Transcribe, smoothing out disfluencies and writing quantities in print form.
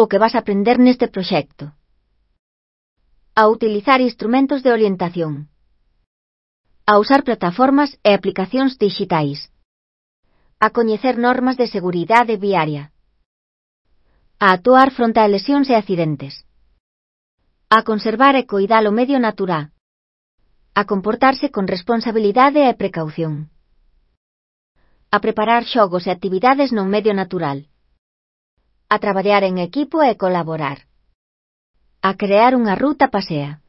o que vas a aprender neste proxecto. A utilizar instrumentos de orientación. A usar plataformas e aplicacións dixitais. A coñecer normas de seguridade viaria. A actuar fronte a lesións e accidentes. A conservar e coidar o medio natural. A comportarse con responsabilidade e precaución. A preparar xogos e actividades no medio natural. A traballar en equipo e colaborar. A crear unha ruta pasea.